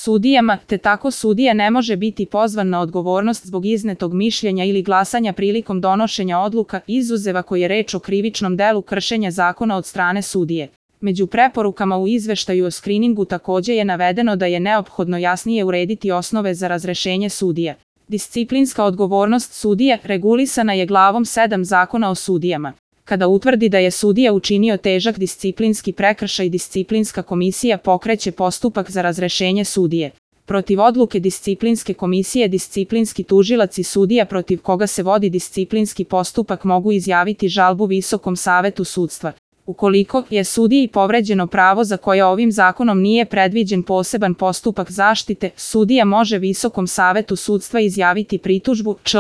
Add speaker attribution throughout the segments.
Speaker 1: sudijama, te tako sudija ne može biti pozvan na odgovornost zbog iznetog mišljenja ili glasanja prilikom donošenja odluka, izuzev ako je reč o krivičnom delu kršenja zakona od strane sudije. Među preporukama u izveštaju o skriningu takođe je navedeno da je neophodno jasnije urediti osnove za razrešenje sudija. Disciplinska odgovornost sudija regulisana je glavom 7 Zakona o sudijama. Kada utvrdi da je sudija učinio težak disciplinski prekršaj, disciplinska komisija pokreće postupak za razrešenje sudije. Protiv odluke disciplinske komisije disciplinski tužilac i sudija protiv koga se vodi disciplinski postupak mogu izjaviti žalbu Visokom savetu sudstva. Ukoliko je sudiji povređeno pravo za koje ovim zakonom nije predviđen poseban postupak zaštite, sudija može Visokom savetu sudstva izjaviti pritužbu čl.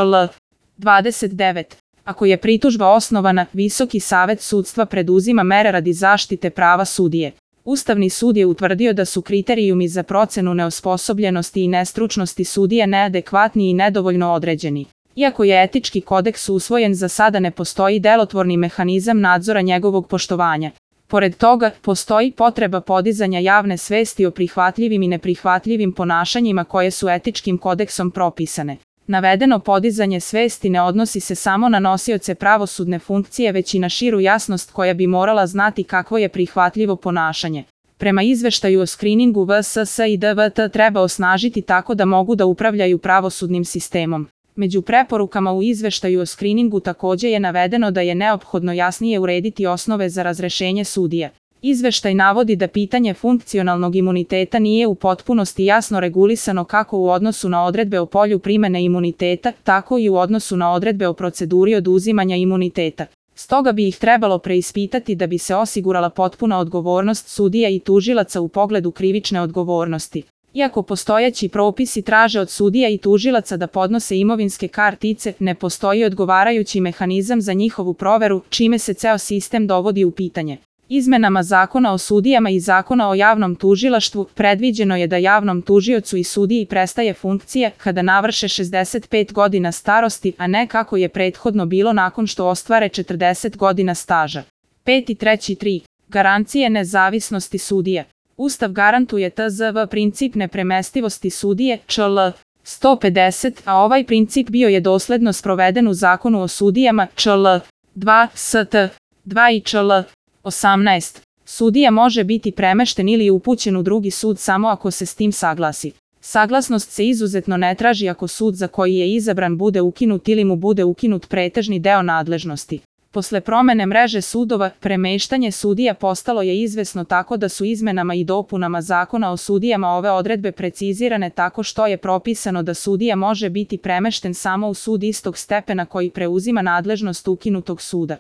Speaker 1: 29. Ako je pritužba osnovana, Visoki savet sudstva preduzima mere radi zaštite prava sudije. Ustavni sud je utvrdio da su kriterijumi za procenu neosposobljenosti i nestručnosti sudija neadekvatni i nedovoljno određeni. Iako je etički kodeks usvojen, za sada ne postoji delotvorni mehanizam nadzora njegovog poštovanja. Pored toga, postoji potreba podizanja javne svesti o prihvatljivim i neprihvatljivim ponašanjima koje su etičkim kodeksom propisane. Navedeno podizanje svesti ne odnosi se samo na nosioce pravosudne funkcije, već i na širu jasnost koja bi morala znati kakvo je prihvatljivo ponašanje. Prema izveštaju o skriningu, VSS i DVT treba osnažiti tako da mogu da upravljaju pravosudnim sistemom. Među preporukama u izveštaju o skriningu takođe je navedeno da je neophodno jasnije urediti osnove za razrešenje sudija. Izveštaj navodi da pitanje funkcionalnog imuniteta nije u potpunosti jasno regulisano kako u odnosu na odredbe o polju primene imuniteta, tako i u odnosu na odredbe o proceduri oduzimanja imuniteta. Stoga bi ih trebalo preispitati da bi se osigurala potpuna odgovornost sudija i tužilaca u pogledu krivične odgovornosti. Iako postojeći propisi traže od sudija i tužilaca da podnose imovinske kartice, ne postoji odgovarajući mehanizam za njihovu proveru, čime se ceo sistem dovodi u pitanje. Izmenama Zakona o sudijama i Zakona o javnom tužilaštvu predviđeno je da javnom tužiocu i sudiji prestaje funkcija kada navrše 65 godina starosti, a ne kako je prethodno bilo nakon što ostvare 40 godina staža. 5.3.3. Garancije nezavisnosti sudija. Ustav garantuje tzv. Princip nepremestivosti sudije, čl. 150, a ovaj princip bio je dosledno sproveden u Zakonu o sudijama, čl. 2, st. 2 i čl. 18. Sudija može biti premešten ili upućen u drugi sud samo ako se s tim saglasi. Saglasnost se izuzetno ne traži ako sud za koji je izabran bude ukinut ili mu bude ukinut pretežni deo nadležnosti. Posle promene mreže sudova, premeštanje sudija postalo je izvesno tako da su izmenama i dopunama Zakona o sudijama ove odredbe precizirane tako što je propisano da sudija može biti premešten samo u sud istog stepena koji preuzima nadležnost ukinutog suda.